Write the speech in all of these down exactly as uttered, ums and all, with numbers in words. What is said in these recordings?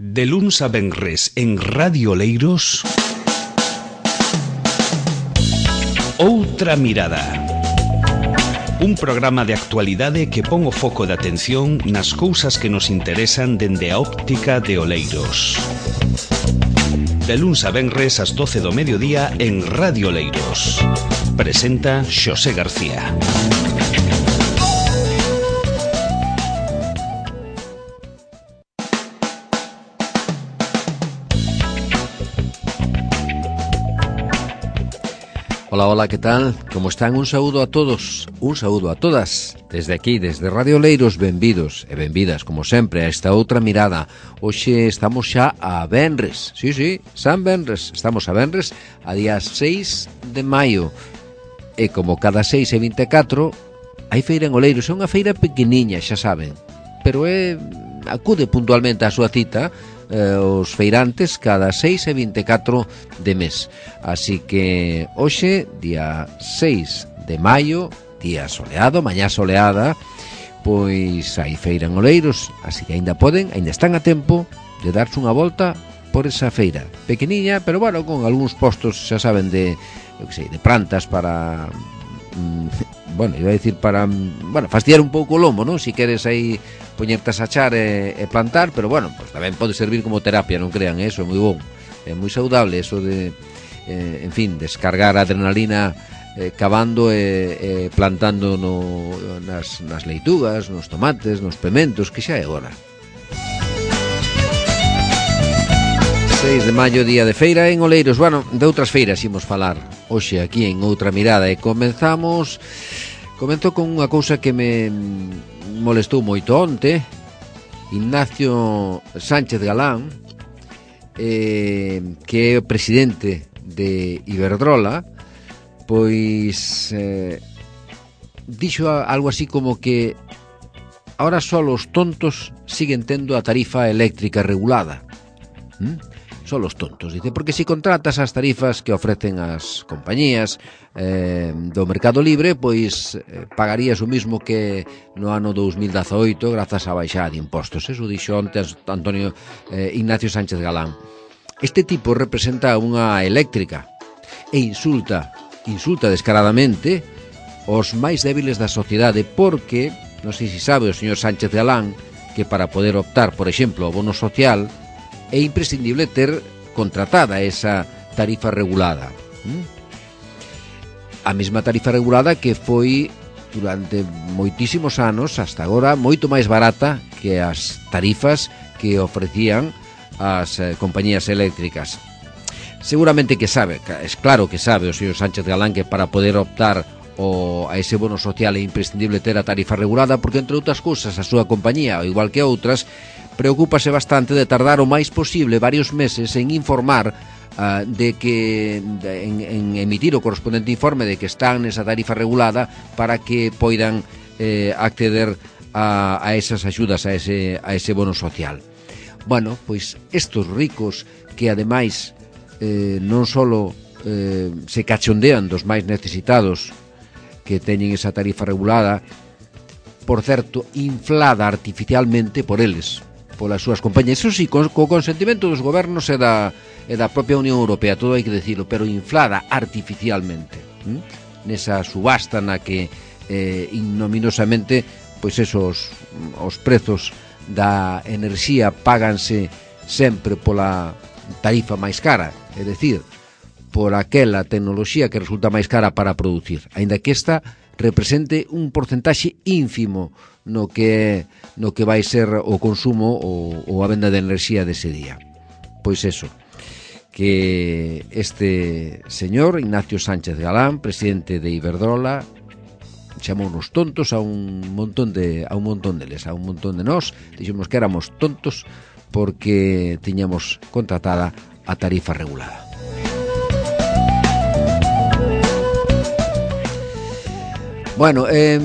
De luns a venres en Radio Oleiros, Outra Mirada. Un programa de actualidade que pon o foco de atención nas cousas que nos interesan dende a óptica de Oleiros. De luns a venres ás doce do mediodía en Radio Oleiros. Presenta Xosé García. Hola, hola, ¿qué tal? ¿Cómo están? Un saúdo a todos, un saúdo a todas. Desde aquí, desde Radio Oleiros, benvidos e benvidas, como sempre, a esta outra mirada. Hoxe estamos xa a venres, sí, sí, San Venres. Estamos a venres a día seis de maio. E como cada seis e vinte e catro, hai feira en Oleiros. É unha feira pequeniña, xa saben, pero é acude puntualmente á súa cita eh, os feirantes cada seis e vinte e catro de mes. Así que hoxe, día seis de maio, día soleado, mañá soleada, pois hai feira en Oleiros, así que aínda poden, aínda están a tempo de darse unha volta por esa feira pequeniña, pero bueno, con algúns postos, xa saben, de, eu que sei, de plantas para mm, bueno, iba a decir para, bueno, fastidiar un pouco o lomo, non? Si queres aí poñerte a sachar e, e plantar, pero bueno, pues tamén pode servir como terapia, non crean, eso é moi bon, é moi saudable eso de, eh, en fin, descargar adrenalina eh, cavando e, e plantando no, nas, nas leitugas, nos tomates, nos pementos, que xa é agora. seis de maio, día de feira en Oleiros. Bueno, de outras feiras imos falar hoxe aquí en Outra Mirada e comenzamos comento con unha cousa que me molestou moito onte. Ignacio Sánchez Galán, eh, que é o presidente de Iberdrola, pois eh, dixo algo así como que ahora só os tontos siguen tendo a tarifa eléctrica regulada. ¿Mm? Son os tontos, dice, porque se si contratas as tarifas que ofrecen as compañías eh, do mercado libre, pois eh, pagarías o mismo que no ano dous mil dezaoito grazas á baixada de impostos. Eso dixo onte Antonio eh, Ignacio Sánchez Galán. Este tipo representa unha eléctrica e insulta, insulta descaradamente os máis débiles da sociedade, porque, non sei se sabe o señor Sánchez Galán, que para poder optar, por exemplo, ao bono social, é imprescindible ter contratada esa tarifa regulada. A mesma tarifa regulada que foi durante moitísimos anos, hasta agora, moito máis barata que as tarifas que ofrecían as eh, compañías eléctricas. Seguramente que sabe, es claro que sabe o señor Sánchez Galán que para poder optar o a ese bono social é imprescindible ter a tarifa regulada, porque, entre outras cousas, a súa compañía, ao igual que outras, preocúpase bastante de tardar o máis posible varios meses en informar uh, de que de, en, en emitir o correspondente informe de que están nesa tarifa regulada para que poidan eh, acceder a, a esas axudas, a ese, a ese bono social. Bueno, pois estos ricos que ademais eh, non só eh, se cachondean dos máis necesitados que teñen esa tarifa regulada, por certo, inflada artificialmente por eles, polas súas compañías, eso sí, co, co consentimento dos gobernos e da, e da propia Unión Europea, todo hai que decirlo, pero inflada artificialmente, ¿m? Nesa subasta na que eh, ignominiosamente, pois esos os prezos da enerxía páganse sempre pola tarifa máis cara, é dicir, por aquela tecnoloxía que resulta máis cara para producir, aínda que esta represente un porcentaxe ínfimo no que no que vai ser o consumo ou, ou a venda de enerxía dese día. Pois eso, que este señor Ignacio Sánchez Galán, presidente de Iberdrola, chamounos tontos a un montón de a un montón deles, a un montón de nós, dixemos que éramos tontos porque tiñamos contratada a tarifa regulada. Bueno, eh,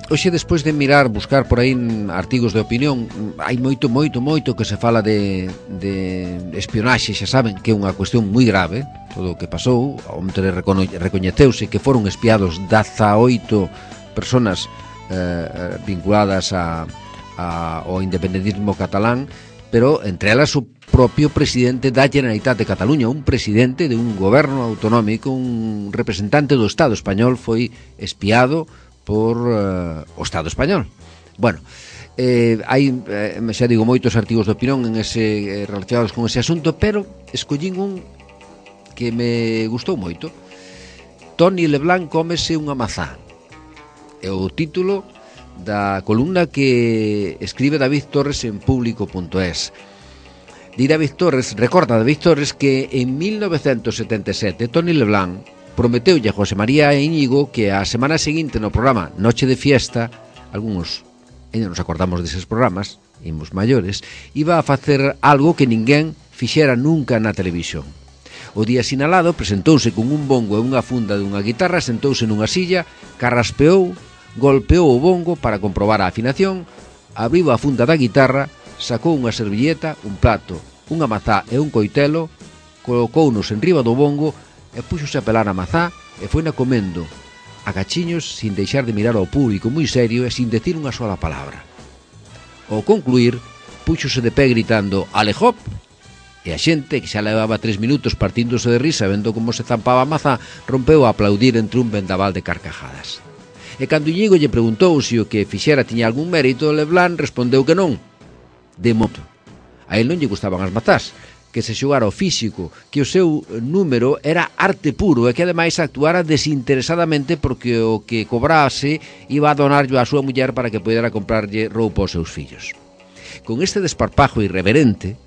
hoxe, despois de mirar, buscar por aí artigos de opinión, hai moito, moito, moito que se fala de, de espionaxe, xa saben que é unha cuestión moi grave, todo o que pasou. Onte recoñeceuse que foron espiados dezaoito personas eh, vinculadas a, a, ao independentismo catalán, pero entre elas o propio presidente da Generalitat de Cataluña, un presidente de un goberno autonómico, un representante do Estado español, foi espiado por uh, o Estado español. Bueno, eh, hai, eh, xa digo, moitos artigos de opinión en ese, eh, relacionados con ese asunto, pero escollín un que me gustou moito. Toni Leblanc cómese unha mazá. É o título da columna que escribe David Torres en público punto es. Di David Torres, recorda David Torres que en mil novecentos setenta e sete Toni Leblanc prometeulle a José María e Íñigo que a semana seguinte no programa Noche de Fiesta, algúns ainda nos acordamos deses programas, imos maiores, iba a facer algo que ninguén fixera nunca na televisión. O día sinalado presentouse con un bongo e unha funda dunha guitarra, sentouse nunha silla, carraspeou, golpeou o bongo para comprobar a afinación, abriu a funda da guitarra, sacou unha servilleta, un plato, unha mazá e un coitelo, colocounos en riba do bongo e puxose a pelar a mazá e foina comendo a cachiños sin deixar de mirar ao público moi serio e sin decir unha sola palabra. Ao concluir, puxose de pé gritando "Alejop!" e a xente, que xa levaba tres minutos partíndose de risa vendo como se zampaba a mazá, rompeu a aplaudir entre un vendaval de carcajadas. E cando Íñigo lle preguntou se o que fixera tiña algún mérito, Leblanc respondeu que non. De modo, a él non lle gustaban as mazás, que se xogara o físico, que o seu número era arte puro e que ademais actuara desinteresadamente porque o que cobrase iba a donarlo á súa muller para que pudera comprarlle roupa aos seus fillos. Con este desparpajo irreverente,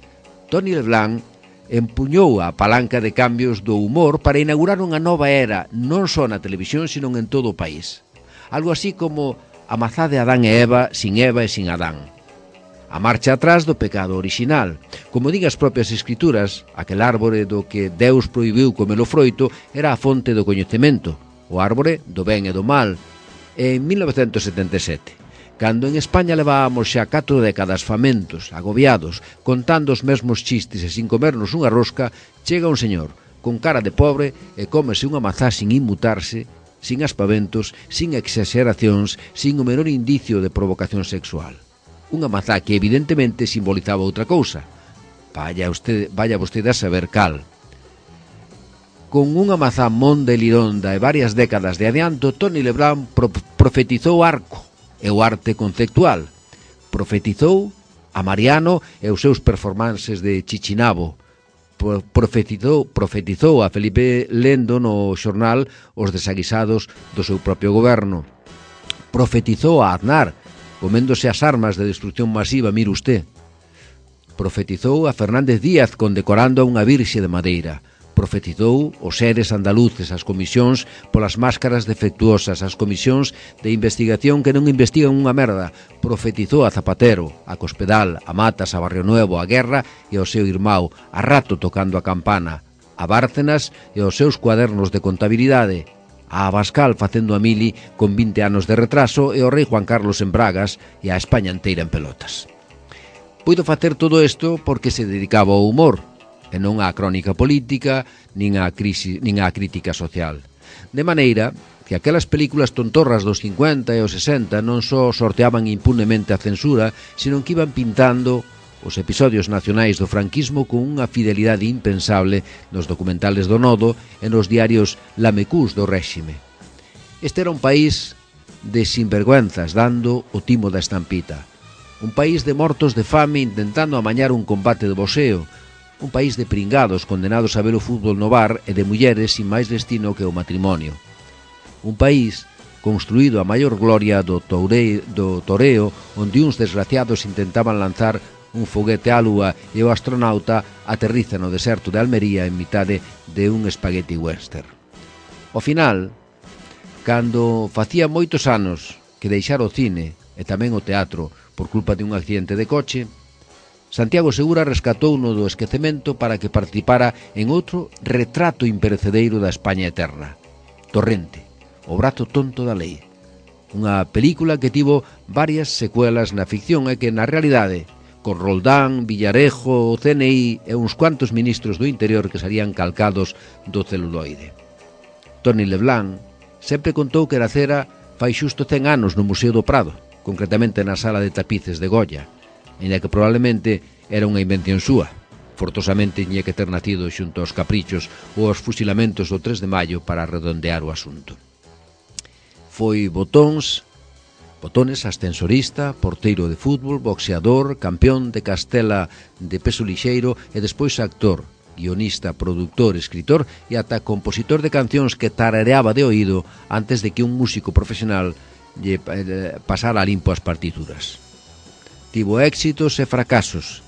Toni Leblanc empuñou a palanca de cambios do humor para inaugurar unha nova era, non só na televisión, sino en todo o país. Algo así como a mazá de Adán e Eva sin Eva e sin Adán. A marcha atrás do pecado orixinal. Como din as propias escrituras, aquel árbore do que Deus prohibiu comer o froito era a fonte do coñecemento, o árbore do ben e do mal. En mil novecentos setenta e sete, cando en España levábamos xa catro décadas famentos, agobiados, contando os mesmos chistes e sin comernos unha rosca, chega un señor con cara de pobre e cómese unha mazá sin inmutarse, sin aspaventos, sin exageracións, sin o menor indicio de provocación sexual. Unha mazá que evidentemente simbolizaba outra cousa. Vaya, usted, vaya vostede a saber cal. Con unha mazá monda e lironda e varias décadas de adianto, Toni Leblanc pro profetizou arco e o arte conceptual. Profetizou a Mariano e os seus performances de Chichinabo. Profetizou, profetizou a Felipe Lendo no xornal Os Desaguisados do seu propio goberno. Profetizou a Aznar, coméndose as armas de destrucción masiva, mire usted. Profetizou a Fernández Díaz condecorando a unha virxe de madeira. Profetizou os seres andaluces, as comisións polas máscaras defectuosas, as comisións de investigación que non investigan unha merda. Profetizou a Zapatero, a Cospedal, a Matas, a Barrio Nuevo, a Guerra e ao seu irmão, a Rato tocando a campana, a Bárcenas e aos seus cuadernos de contabilidade, a Abascal facendo a mili con vinte anos de retraso e o rei Juan Carlos en bragas e a España inteira en pelotas. Puido facer todo isto porque se dedicaba ao humor e non á crónica política nin á, crisis, nin á crítica social. De maneira que aquelas películas tontorras dos cincuenta e os sesenta non só sorteaban impunemente a censura, sino que iban pintando os episodios nacionais do franquismo con unha fidelidade impensable nos documentales do Nodo e nos diarios lamecús do réxime. Este era un país de sinvergüenzas dando o timo da estampita. Un país de mortos de fame intentando amañar un combate de boxeo. Un país de pringados condenados a ver o fútbol no bar e de mulleres sin máis destino que o matrimonio. Un país construído a maior gloria do, toure, do toreo, onde uns desgraciados intentaban lanzar un foguete á lúa e o astronauta aterriza no deserto de Almería en mitade de un espagueti western. Ao final, cando facía moitos anos que deixara o cine e tamén o teatro por culpa de un accidente de coche, Santiago Segura rescatouno do esquecemento para que participara en outro retrato imperecedeiro da España eterna, Torrente, o brazo tonto da lei, unha película que tivo varias secuelas na ficción e que na realidade con Roldán, Villarejo, o C N I e uns cuantos ministros do interior que salían calcados do celuloide. Toni Leblanc sempre contou que Eracera fai xusto cen anos no Museo do Prado, concretamente na sala de tapices de Goya, ainda que probablemente era unha invención súa. Fortosamente tiña que ter nacido xunto aos caprichos ou aos fusilamentos do tres de maio para redondear o asunto. Foi botóns, botones, ascensorista, porteiro de fútbol, boxeador, campeón de Castela de peso lixeiro e despois actor, guionista, produtor, escritor e ata compositor de cancións que tarareaba de oído antes de que un músico profesional lle pasara a limpo as partituras. Tivo éxitos e fracasos,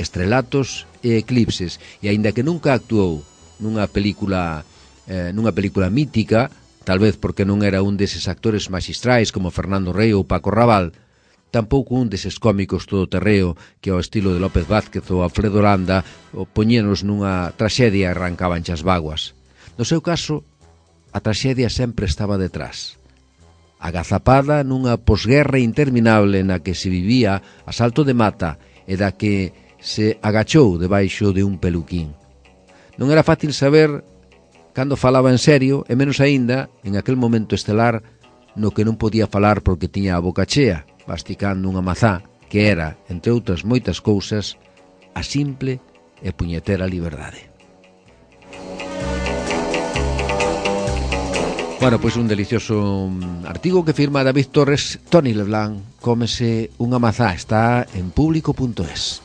estrelatos e eclipses, e aínda que nunca actuou nunha película eh, nunha película mítica, tal vez porque non era un deses actores maxistrais como Fernando Rey ou Paco Raval, tampouco un deses cómicos todoterreo que ao estilo de López Vázquez ou Alfredo Landa o poñenos nunha traxedia e arrancaban as vaguas. No seu caso, a traxedia sempre estaba detrás, agazapada nunha posguerra interminable na que se vivía a salto de mata e da que se agachou debaixo de un peluquín. Non era fácil saber cando falaba en serio, e menos aínda en aquel momento estelar no que non podía falar porque tiña a boca chea, masticando unha mazá que era, entre outras moitas cousas, a simple e puñetera liberdade. Bueno, pois un delicioso artigo que firma David Torres. Toni Leblanc, cómese unha mazá, está en público punto es.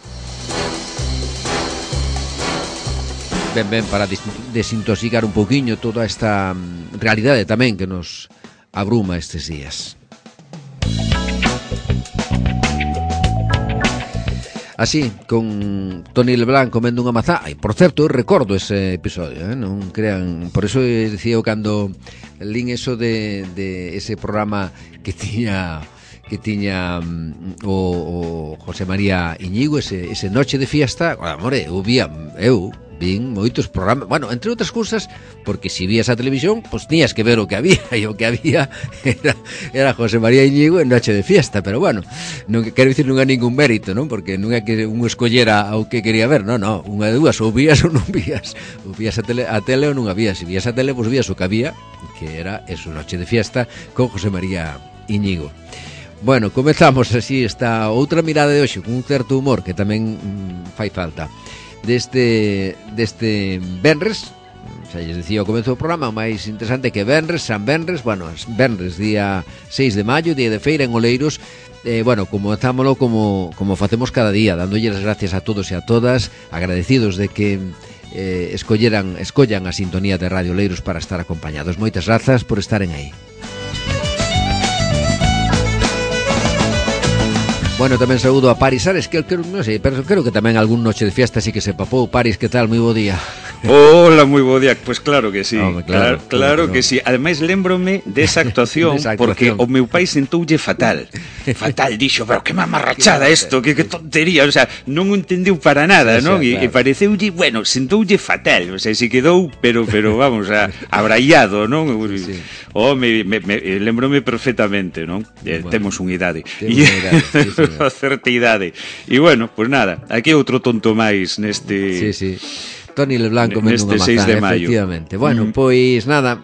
Ben, ben, para desintoxicar un pouquiño toda esta realidade tamén que nos abruma estes días. Así, con Toni Leblanc comendo unha mazá. Ai, por certo, eu recordo ese episodio, eh? Non crean. Por eso decía eu cando lín eso de, de ese programa que tiña que tiña um, o, o José María Iñigo, ese, ese Noche de Fiesta. Amore, eu vía, eu vin moitos programas, bueno, entre outras cousas, porque se vías a televisión, pois pues, tiñas que ver o que había, e o que había era, era José María Iñigo en Noche de Fiesta, pero bueno, non quero dicir non é ningún mérito, non? Porque non é que un escollera o que quería ver, non, non, unha de dúas, ou vías ou non vías, ou vías a tele, a tele ou non había, se vías a tele, pois pues, vías o que había, que era eso, Noche de Fiesta, con José María Iñigo. Bueno, comezamos así esta outra mirada de hoxe, con un certo humor que tamén mm, fai falta. Deste, deste Benres, xa lles dicía ao comezo do programa, o máis interesante que Benres, San Benres, bueno, Benres, día seis de maio, día de feira en Oleiros, eh, bueno, comenzámolo como, como facemos cada día, dándolle as gracias a todos e a todas, agradecidos de que eh, escolleran, escollan a sintonía de Radio Oleiros para estar acompañados. Moitas grazas por estaren aí. Bueno, tamén saúdo a Paris Ares, que creo, non sei, pero creo que tamén algún Noche de Fiesta sí que se papou. Paris, que tal? Moi bo día. Hola, moi bo día. Pois pues claro que sí. Home, claro, claro, claro que sí. Ademais, lembrome desa actuación, actuación, porque o meu pai sentoulle fatal. Fatal, dixo, pero que mamarrachada isto, que, que tontería, o sea, non o entendeu para nada, non? E, claro. E pareceulle, bueno, sentoulle fatal, o sea, se quedou, pero pero vamos, a, abraiado, non? Sí. Oh, me, me, me lembrome perfectamente, non? Bueno, temos unha idade. Temos unha idade, sí, sí. A certa idade. E bueno, pois pues nada, aquí outro tonto máis neste... Sí, sí. Toni Leblanc comendo unha mazá, efectivamente. Bueno, mm. pois nada,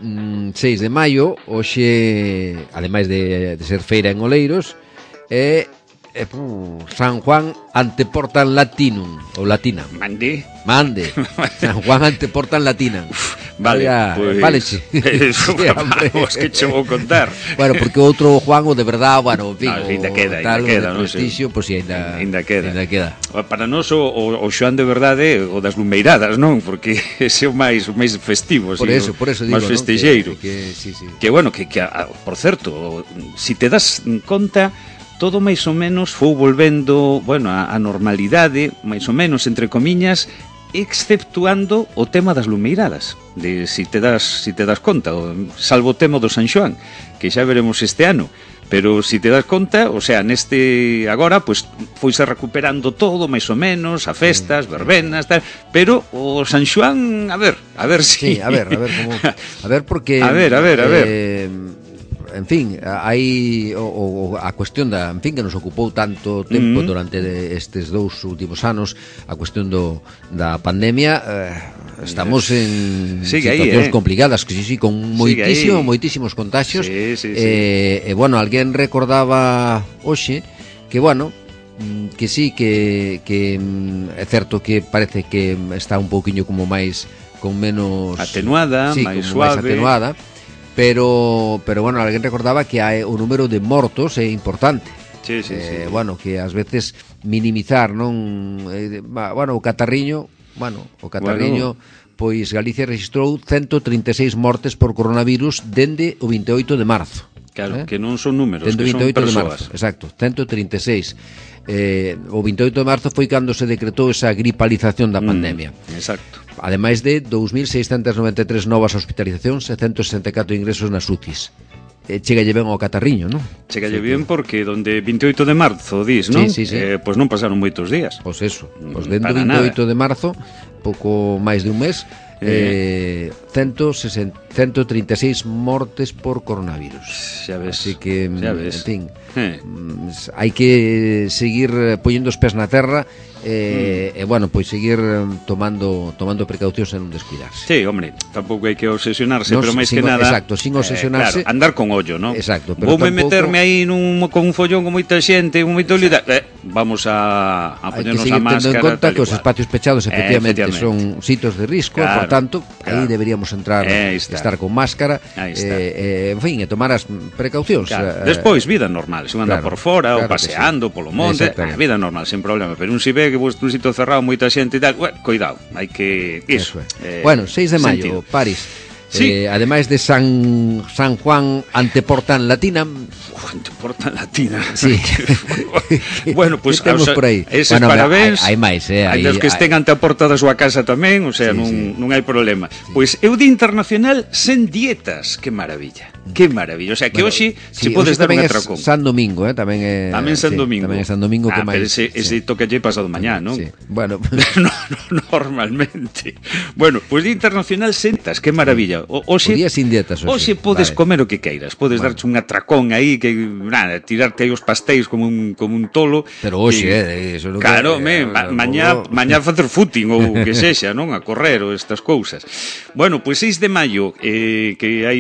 seis de maio, hoxe, ademais de, de ser feira en Oleiros, é eh, uh, San Juan Anteportan Latinum, ou Latina. Mande. Mande. San Juan Anteportan Latinum. Vale, Oiga, pues... Vale, sí. Eso, sí, vamos, que che vou contar. Bueno, porque outro Juan, o de verdad, bueno, en fin, no, ainda queda, tal, ainda queda, o de prestigio, pois pues, ainda, ainda queda. Ainda queda. Para nós o, o, o Xoan de verdade o das lumeiradas, non? Porque ese é o máis o máis festivo, por eso, por eso digo, máis festexeiro. ¿no? Que, que, sí, sí. Que bueno, que, que por certo, si te das conta, todo máis ou menos foi volvendo, bueno, a, a normalidade, máis ou menos entre comiñas, exceptuando o tema das lumeiradas, de si te das si te das conta, salvo o tema do San Xoán, que xa veremos este ano, pero si te das conta, o sea, neste agora pois foise recuperando todo máis ou menos, a festas, verbenas, tal, pero o San Xoán, a ver, a ver si sí, a ver, a ver como a ver porque a ver, a ver, a ver. Eh, en fin, hai o, o, a cuestión da, en fin, que nos ocupou tanto tempo mm-hmm. durante estes dous últimos anos, a cuestión do, da pandemia, eh, estamos en sigue situacións ahí, eh? complicadas, que sí, sí, con moitísimo, moitísimos contagios. Sí, sí, sí. Eh, e, bueno, alguén recordaba hoxe que, bueno, que sí, que, que é certo que parece que está un pouquiño como máis con menos atenuada, sí, máis suave, máis atenuada, pero pero bueno, alguén recordaba que hai o número de mortos é importante. Sí, sí, eh, sí. Bueno, que ás veces minimizar, non, eh, bueno, o catarriño, bueno, o catarriño bueno. Pois Galicia registrou ciento trinta e seis mortes por coronavirus dende o vinte e oito de marzo. Claro, eh? que non son números, dende que son vinte e oito de persoas. marzo, exacto, ciento trinta e seis. Eh, o vinte e oito de marzo foi cando se decretou esa gripalización da pandemia. Mm, exacto. Ademais de dous mil seiscentos noventa e tres novas hospitalizacións e ciento sesenta e catro ingresos nas U C Is. Eh, chegalle ben ao catarriño, non? Chegalle sí, ben que... porque donde vinte e oito de marzo, dis, non? Sí, sí, sí. Eh, pois non pasaron moitos días. Pois eso, pois dentro Para vinte e oito nada. de marzo, pouco máis de un mes, eh, ciento trinta e seis mortes por coronavirus. Xa ves. Así que, xa ves. en fin, eh. hai que seguir poñendo os pés na terra e, mm. e bueno, pois seguir tomando tomando precaucións e non descuidarse. Sí, hombre, tampouco hai que obsesionarse, no, pero máis sin, que nada, exacto, sin obsesionarse, eh, claro, andar con ollo, ¿no? Exacto, pero voume tampouco... meterme aí nun con un follón con moita xente, con moito líder, eh, vamos a a poñernos a máscara. Hai que seguir tendo en conta que os espacios pechados efectivamente, eh, efectivamente. son sitios de risco, claro, por tanto, claro, aí deberíamos entrar, eh, estar con máscara, eh, eh, en fin, e tomar as precaucións. Claro. Eh, Despois, vida normal, se anda claro, por fora, claro, ou paseando sí, polo monte, eh, vida normal, sen problema, pero un si ve que vos un sitio cerrado, moita xente e tal, bueno, cuidado, hai que iso. Eh, bueno, seis de maio, sentido. París. Sí. Eh, ademais de San San Juan anteporta en latina. Uf, anteporta en latina. Sí. Bueno, pues temos o sea, por aí. Eses bueno, parabéns. Hai, hai máis, eh, hai os que estén ante a porta da súa casa tamén, o sea, sí, non, sí. non hai problema. Sí. Pois é o Día Internacional sen dietas, que maravilla. Que maravilla, o sea, que bueno, hoxe sí, se podes dar un atracón. San Domingo, eh, tamén é Tamén San sí, Domingo. Tamén é San Domingo ah, que máis. Pero ese, ese sí. toca lle pasado mañá, non? Sí. Bueno, no, no, normalmente. Bueno, pois Día Internacional sen dietas, que maravilla. O, oxe, o día sin dietas, oxe podes vale. comer o que queiras, podes bueno. darche un atracón aí que nada, tirarte aí os pastéis como un como un tolo. Pero hoxe, eh, eso non claro, que, me, eh, ma, mañá, mañá facer footing ou que sexa, non? A correr ou estas cousas. Bueno, pois seis de maio eh, que hai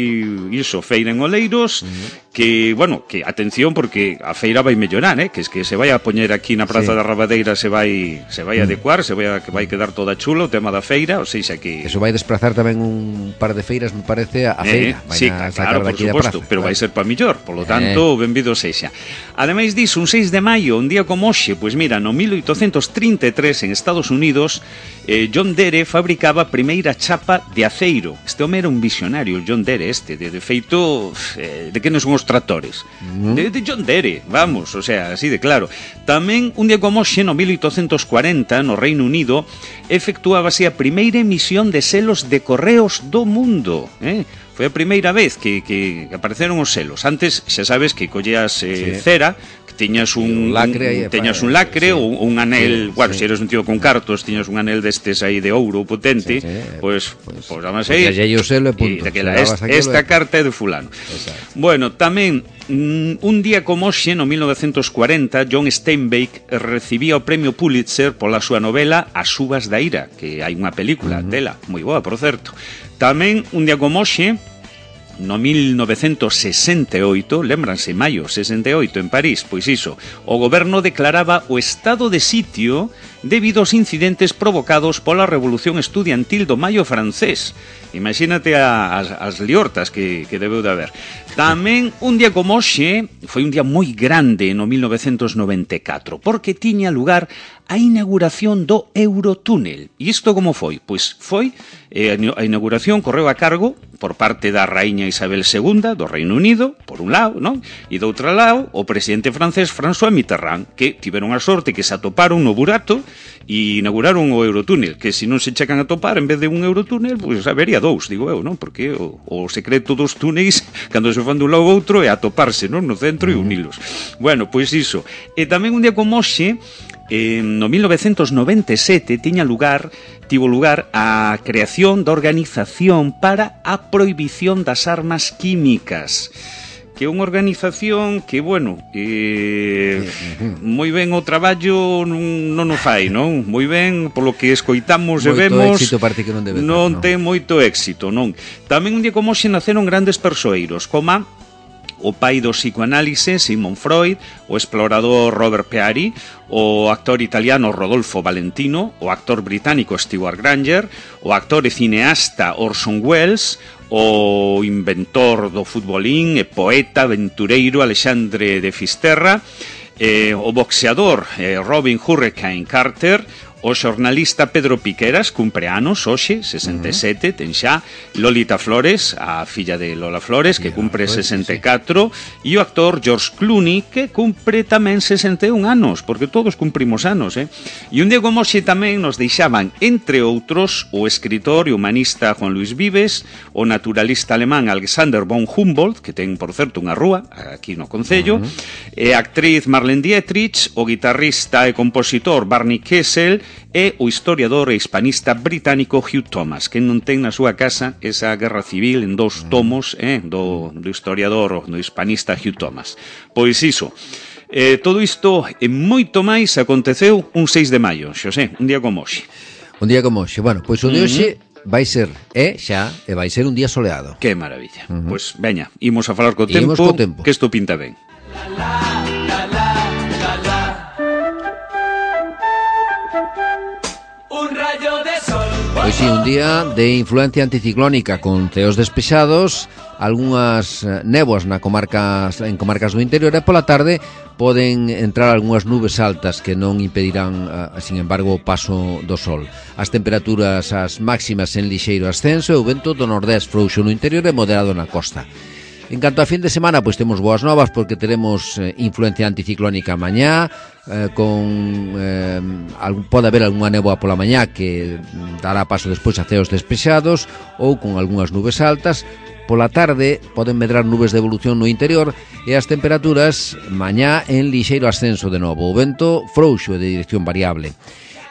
iso, feira en Oleiros, uh-huh. que, bueno, que atención porque a feira vai mellorar, eh? Que es que se vai a poñer aquí na Praza sí. da Rabadeira, se vai se vai uh-huh. adecuar, se vai a, que vai quedar toda chulo o tema da feira, ou seja que eso vai desplazar tamén un par de feiras, me parece, a feira. Eh, sí, a claro, por suposto, pero vai ser para millor, polo tanto, eh. benvido sexa. Ademais disso, un seis de maio, un día como hoxe, pois mira, no mil oitocentos trinta e tres en Estados Unidos, eh, John Deere fabricaba a primeira chapa de aceiro. Este home era un visionario, John Deere este, de, de feito, eh, de que non son os tractores? Mm. De, de John Deere, vamos, o sea, así de claro. Tamén, un día como hoxe, no mil oitocentos cuarenta, no Reino Unido, efectuábase a primeira emisión de selos de correos do mundo, eh? Foi a primeira vez que, que apareceron os selos. Antes, xa sabes que colleas eh, sí. cera, que tiñas un, lacre, un teñas un lacre sí. ou un anel, sí, bueno, se sí. si eres un tío con cartos, tiñas un anel destes aí de ouro potente, sí, sí. Pois, pues, pues, además aí, o selo e punto. E la, esta, esta carta é de fulano. Exacto. Bueno, tamén un día como hoxe, no mil novecentos cuarenta, John Steinbeck recibía o premio Pulitzer pola súa novela As uvas da ira, que hai unha película uh-huh. dela, moi boa, por certo. Tamén, un día como hoxe, no mil novecentos sesenta e oito, lembranse, maio sesenta e oito en París, pois iso, o goberno declaraba o estado de sitio debido aos incidentes provocados pola revolución estudiantil do maio francés. Imagínate a, as, as liortas que, que debeu de haber. Tamén, un día como hoxe, foi un día moi grande no mil novecentos noventa e catro, porque tiña lugar a inauguración do Eurotúnel. E isto como foi? Pois foi, eh, a inauguración correu a cargo por parte da raíña Isabel segunda do Reino Unido, por un lado, non? E do outro lado, o presidente francés François Mitterrand, que tiveron a sorte que se atoparon no burato e inauguraron o Eurotúnel, que se non se checan a topar, en vez de un Eurotúnel, pois habería dous, digo eu, non? Porque o, o secreto dos túneis, cando se fan dun lado ou outro, é atoparse, non? No centro e unilos. Bueno, pois iso. E tamén un día como hoxe, Eh, no mil novecentos noventa e sete tiña lugar, tivo lugar a creación da Organización para a Prohibición das Armas Químicas, que é unha organización que, bueno, eh, moi ben o traballo non, non o fai, non? Moi ben, polo que escoitamos e vemos, éxito parte que non debe non ter, non ten moito éxito, non? Tamén un día como hoxe naceron grandes persoeiros, como o pai do psicoanálise Sigmund Freud, o explorador Robert Peary, o actor italiano Rodolfo Valentino, o actor británico Stewart Granger, o actor e cineasta Orson Welles, o inventor do futbolín e poeta aventureiro Alexandre de Fisterra, eh, o boxeador eh, Robin Hurricane Carter, o xornalista Pedro Piqueras, cumpre anos hoxe, sesenta e sete, uh-huh. ten xa Lolita Flores, a filla de Lola Flores, que cumpre sesenta e catro, e o actor George Clooney, que cumpre tamén sesenta e un anos, porque todos cumprimos anos, eh? E un día como hoxe tamén nos deixaban, entre outros, o escritor e humanista Juan Luis Vives, o naturalista alemán Alexander von Humboldt, que ten, por certo, unha rúa, aquí no Concello, uh-huh. e a actriz Marlene Dietrich, o guitarrista e compositor Barney Kessel, e o historiador e hispanista británico Hugh Thomas, que non ten na súa casa esa guerra civil en dous tomos eh, do, do historiador, do hispanista Hugh Thomas. Pois iso, eh, todo isto e moito máis aconteceu un seis de maio, Xosé, un día como hoxe. Un día como hoxe, bueno, pois o de hoxe uh-huh. vai ser, é xa, e vai ser un día soleado. Que maravilla. Uh-huh. Pois veña, imos a falar co tempo, co tempo, que isto pinta ben. Pois sí, un día de influencia anticiclónica con ceos despexados, algunhas néboas na comarcas, en comarcas do interior, e pola tarde poden entrar algunhas nubes altas que non impedirán, sin embargo, o paso do sol. As temperaturas as máximas en lixeiro ascenso e o vento do nordés frouxo no interior e moderado na costa. En canto a fin de semana, pois temos boas novas porque teremos eh, influencia anticiclónica mañá, eh, con eh, algún, pode haber algunha néboa pola mañá que dará paso despois a ceos despexados ou con algunhas nubes altas. Pola tarde poden medrar nubes de evolución no interior e as temperaturas mañá en lixeiro ascenso de novo. O vento frouxo de dirección variable.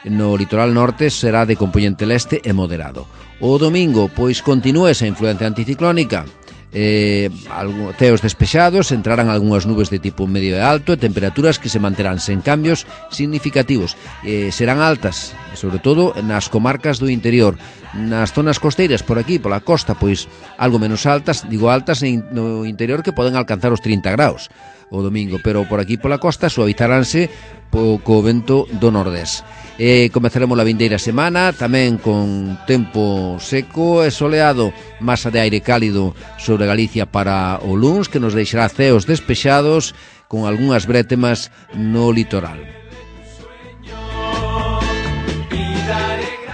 No litoral norte será de compoñente leste e moderado. O domingo, pois continúa esa influencia anticiclónica. Eh, algún, ceos despexados, entrarán algunhas nubes de tipo medio e alto e temperaturas que se manterán sen cambios significativos. Eh, serán altas, sobre todo nas comarcas do interior. Nas zonas costeiras, por aquí, pola costa, pois algo menos altas, digo altas no interior, que poden alcanzar os trinta graus o domingo, pero por aquí pola costa suavizaránse po, co vento do nordés. E comezaremos a vindeira semana tamén con tempo seco e soleado, masa de aire cálido sobre Galicia para o luns, que nos deixará ceos despexados con algunhas brétemas no litoral.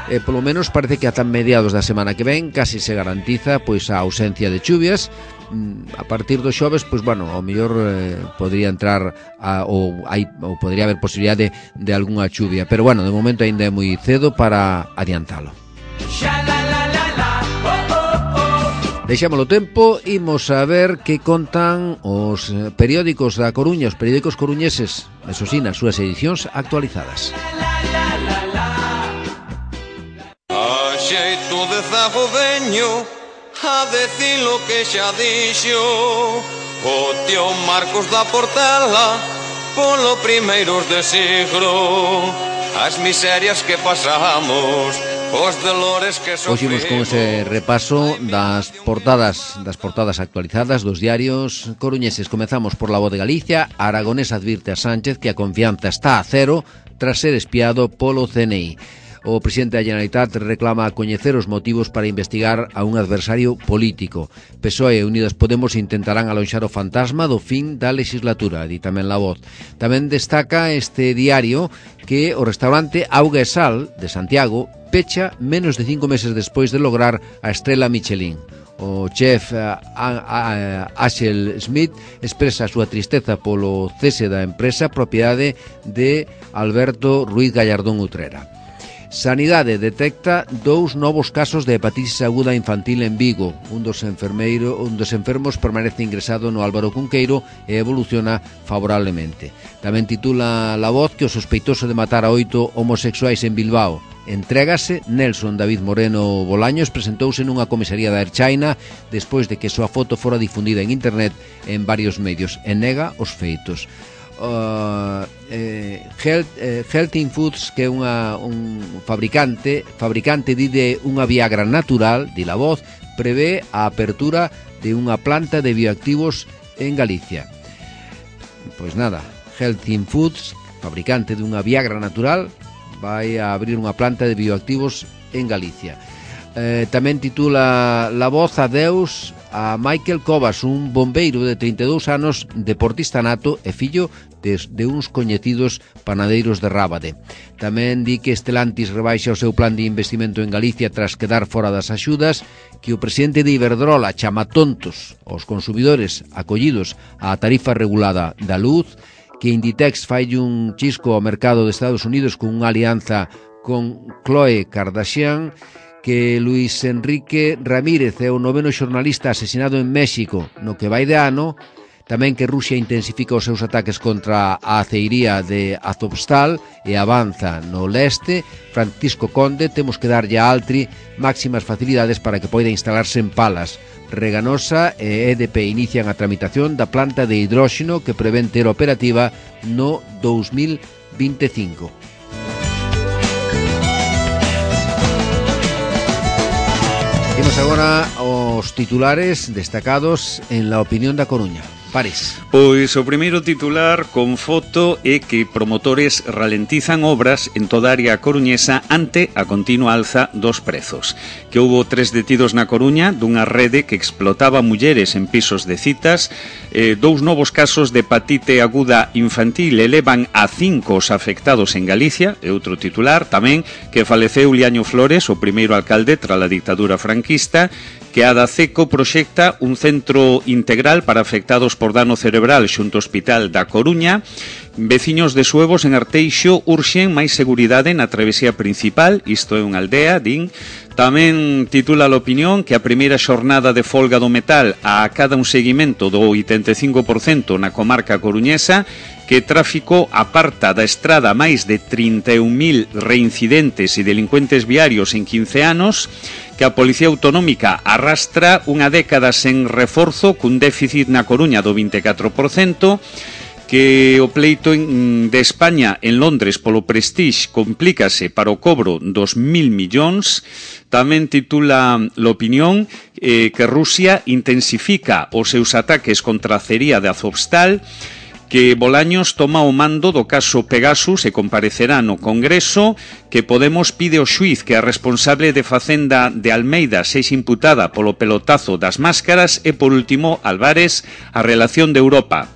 E polo menos parece que ata mediados da semana que ven casi se garantiza pois a ausencia de chuvias. A partir do xoves, pois bueno, ao mellor eh, podría entrar a, ou, hai, ou podría haber posibilidade de, de algunha chuvia, pero bueno, de momento ainda é moi cedo para adiantalo. Deixámolo tempo, imos a ver que contan os periódicos da Coruña, os periódicos coruñeses, eso sí, nas súas edicións actualizadas. A xeito de zagodeño, a decir lo que xa dixo o tío Marcos da Portela polo primeiros de siglo, as miserias que pasamos, os dolores que sofrimos. Hoxe con ese repaso das portadas das portadas actualizadas dos diarios coruñeses. Comezamos por La Voz de Galicia. Aragonés advirte a Sánchez que a confianza está a cero tras ser espiado polo C N I. O presidente da Generalitat reclama coñecer os motivos para investigar a un adversario político. P S O E e Unidas Podemos intentarán alonxar o fantasma do fin da legislatura, di tamén La Voz. Tamén destaca este diario que o restaurante Auga e Sal de Santiago pecha menos de cinco meses despois de lograr a estrela Michelin. O chef Axel Smith expresa a súa tristeza polo cese da empresa propiedade de Alberto Ruiz Gallardón Utrera. Sanidade detecta dous novos casos de hepatitis aguda infantil en Vigo. Un dos, enfermeiro, un dos enfermos permanece ingresado no Álvaro Cunqueiro e evoluciona favorablemente. Tamén titula La Voz que o sospeitoso de matar a oito homosexuais en Bilbao entrégase. Nelson David Moreno Bolaños presentouse nunha comisaría da Erchaina despois de que súa foto fora difundida en internet en varios medios e nega os feitos. Uh, eh, Health, eh, Healthing Foods, que é unha, un fabricante fabricante de unha Viagra natural, di La Voz, prevé a apertura de unha planta de bioactivos en Galicia. Pois nada, Healthy Foods, fabricante dunha Viagra natural, vai a abrir unha planta de bioactivos en Galicia. Eh, tamén titula La voz a Deus a Michael Covas, un bombeiro de trinta e dous anos, deportista nato e fillo de, de uns coñecidos panadeiros de Rábade. Tamén di que Stellantis rebaixa o seu plan de investimento en Galicia tras quedar fora das axudas, que o presidente de Iberdrola chama tontos aos consumidores acollidos á tarifa regulada da luz, que Inditex fai un chisco ao mercado de Estados Unidos con unha alianza con Khloe Kardashian, que Luis Enrique Ramírez é o noveno xornalista asesinado en México no que vai de ano, tamén que Rusia intensifica os seus ataques contra a aceiría de Azovstal e avanza no leste. Francisco Conde, temos que darlle a Altri máximas facilidades para que poida instalarse en Palas. Reganosa e E D P inician a tramitación da planta de hidróxeno que prevén ter operativa no dous mil veinticinco. Temos agora os titulares destacados en La Opinión da Coruña. Pares. Pois o primeiro titular con foto é que promotores ralentizan obras en toda a área coruñesa ante a continua alza dos prezos. Que houbo tres detidos na Coruña dunha rede que explotaba mulleres en pisos de citas. Eh, dous novos casos de hepatite aguda infantil elevan a cinco os afectados en Galicia. E outro titular tamén que faleceu Liaño Flores, o primeiro alcalde tras a dictadura franquista, que a Daceco proxecta un centro integral para afectados por dano cerebral xunto ao Hospital da Coruña. Veciños de Suevos en Arteixo urxen máis seguridade na travesía principal, isto é unha aldea, din. Tamén titula a Opinión que a primeira xornada de folga do metal a cada un seguimento do oitenta e cinco por cento na comarca coruñesa, que tráfico aparta da estrada máis de trinta e un mil reincidentes e delincuentes viarios en quince anos, que a Policía Autonómica arrastra unha década sen reforzo cun déficit na Coruña do vinte e catro por cento, que o pleito en, de España en Londres polo Prestige complícase para o cobro dos mil millóns. Tamén titula L'Opinión eh, que Rusia intensifica os seus ataques contra a acería de Azovstal, que Bolaños toma o mando do caso Pegasus e comparecerá no Congreso, que Podemos pide ao xuiz que a responsable de Facenda de Almeida sexa imputada polo pelotazo das máscaras e, por último, Álvarez, a relación de Europa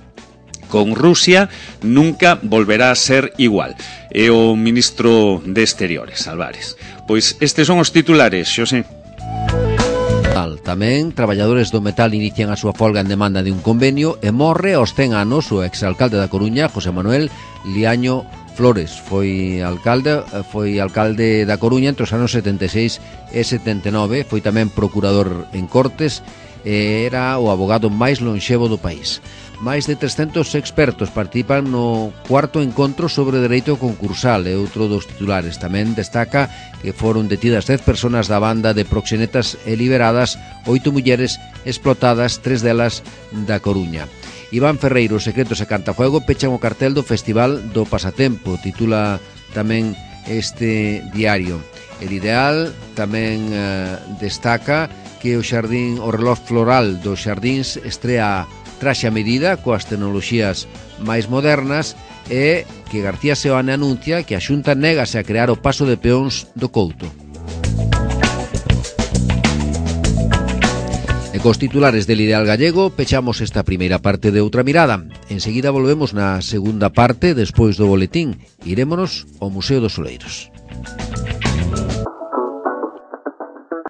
con Rusia nunca volverá a ser igual. E o ministro de Exteriores, Álvarez. Pois estes son os titulares, Xosé. Tamén, traballadores do metal inician a súa folga en demanda de un convenio e morre aos cen anos o exalcalde da Coruña, José Manuel Liaño Flores. Foi alcalde, foi alcalde da Coruña entre os anos setenta e seis e setenta e nove, foi tamén procurador en Cortes e era o abogado máis lonxevo do país. Máis de trescentos expertos participan no cuarto encontro sobre dereito concursal e outro dos titulares. Tamén destaca que foron detidas dez persoas da banda de proxenetas e liberadas oito mulleres explotadas, tres delas da Coruña. Iván Ferreiro, Secretos e Cantafuego pechan o cartel do Festival do Pasatempo, titula tamén este diario. El Ideal tamén eh, destaca que o xardín, o reloj floral dos xardíns estrea traxe a medida coas tecnoloxías máis modernas e que García Seoane anuncia que a Xunta négase a crear o paso de peóns do Couto. E cos titulares del Ideal Gallego pechamos esta primeira parte de Outra Mirada. Enseguida volvemos na segunda parte despois do boletín. Irémonos ao Museo dos Oleiros.